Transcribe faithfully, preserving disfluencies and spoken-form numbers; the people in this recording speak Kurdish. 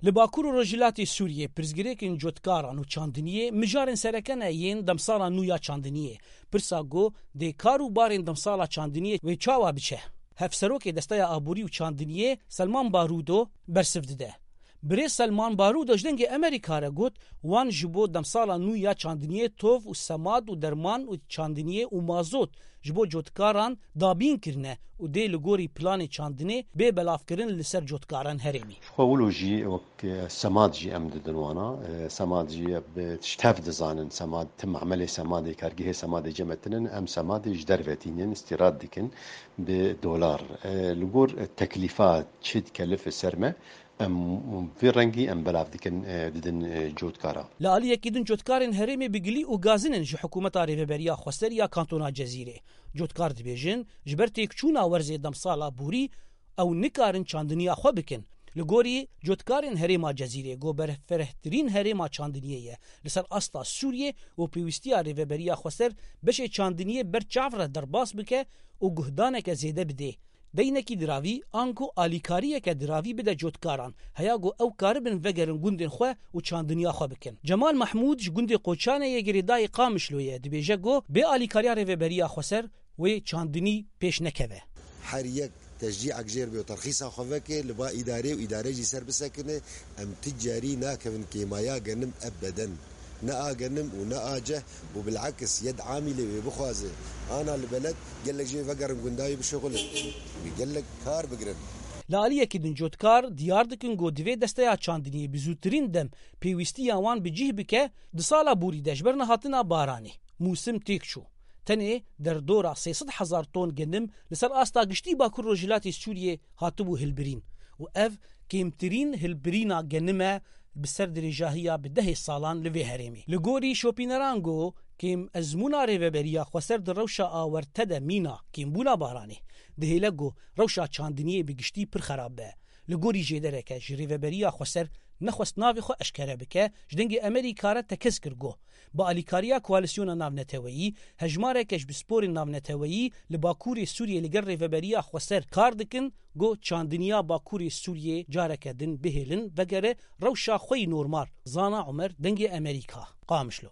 Li Bakur û Rojhilatê Sûriyê pirsgirêkên cotkaran û çandiniyê mijarên sereke ne yên demsala nû ya çandiniyê. Pirsa ku dê kar û barên demsala çandiniyê wê çawa biçe? Hevserokê Desteya Aborî û Çandiniyê Selman Barudo bersiv dide. Birêz Selman Barudo ji Dengê Amerîka re got, wan ji bo demsala nû ya çandiniyê tov û semad û derman û çandiniyê û mazot ji bo cotkaran dabîn kirine û dê li gorî planê çandinê bê belavkirin li ser cotkaran herêmî. Ji xwe wilo jî wek, e, semad jî em didin wana. E, semad jî bi tişt tev dizanin. Semad, tim emelê semadê, kargehê semadê cem tinin. Em semadê ji derve tînin, îstîrad dikin bi dolar. E, li gor, e, teklîfa çi dikelife ser me, em vê rengî em belav dikin, e, didin, e, cotkara. Li aliyekî din cotkarên herêmê bi gilî û gazin in ji hikûmeta Rêveberiya Xweser ya Kantona Cezîrê. Cotkar dibêjin, ji ber têkçûna werzê demsala borî ew nikarin çandiniya xwe bikin. Li gorî cotkarên herêma Cezîrê, ku berfirehtirîn herêma çandiniyê ye li ser asta Sûriyê û pêwîstiya Rêveberiya Xweser beşê çandiniyê ber çav re derbas bike û guhdaneke zêde bidê. Deynekî diravî, anku alîkariyeke diravî bide cotkaran, heya ku ew karibin vegerin gundên xwe û çandiniya xwe bikin. Cemal Mehmûd ji gundê Qoçanê yê girêdayî Qamişlo ye, dibêje ku bê alîkariya Rêveberiya Xweser wê çandinî pêş nekeve. Her yek teşcîek jêr bê û terxîsa xwe veke, li ba îdarê û îdare jî ser bisekine, em ti carî nakevin kêmaya genim ebeden. Ne a genim û ne a ceh û bilekis yed amîlê wê bixwaze ana li beled, gelek jê vegerin gunda wê bişuxulin. Wê gelek kar bigirin. Li aliyekî din cotkar diyar dikin ku divê desteya çandiniyê bi zûtirîn dem pêwîstiya wan bi cih bike, di sala borî de ji ber nehatina baranê mûsim têk çû. Tenê derdora sê sed hezar ton genim li ser asta giştî Bakur Rojhilatê Sûriyê hatibû hilbirîn û ev kêmtirîn hilbirîna genim e bi ser dirêjahiya bi dehê salan li vê herêmê. Li gorî şopîneran ku kêm ezmûna Rêveberiya Xweser di rewşa awerte de mîna kêmbûna baranê, dihêle ku rewşa çandiniyê bi giştî pir xerab be. Li gorî jêdereke ji Rêveberiya Xweser nexwest navê xwe eşkere bike, ji Dengê Amerîka re tekez kir ku bi alîkariya koalîsyona navneteweyî, hejmareke ji pisporên navneteweyî li Bakurê Sûriyê li gel Rêveberiya Xweser kar dikin, ku çandiniya Bakurê Sûriyê careke din bihêlin vegere rewşa xwe yî normal. Zana Omer, Dengê Amerîka, Qamişlo.